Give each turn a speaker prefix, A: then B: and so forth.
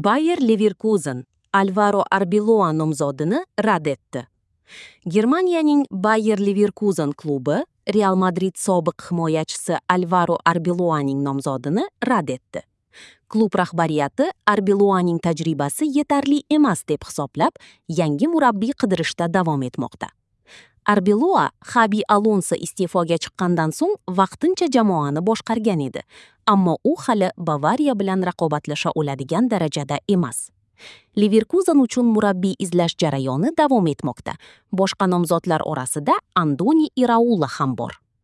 A: Bayer Leverkusen Alvaro Arbeloa nomzodini rad etdi. Germaniyaning Bayer Leverkusen klubi Real Madrid sobiq himoyachisi Alvaro Arbeloaning nomzodini rad etdi. Klub rahbariyati Arbeloaning tajribasi yetarli emas deb hisoblab, yangi murabbiy qidirishda davom etmoqda. Arbeloa Xabi Alonso iste'foga chiqqandan so'ng vaqtincha jamoani boshqargan edi, ammo u hali Bavariya bilan raqobatlasha oladigan darajada emas. Leverkusen uchun murabbiy izlash jarayoni davom etmoqda. Boshqa nomzodlar orasida Andoni Iraola ham bor.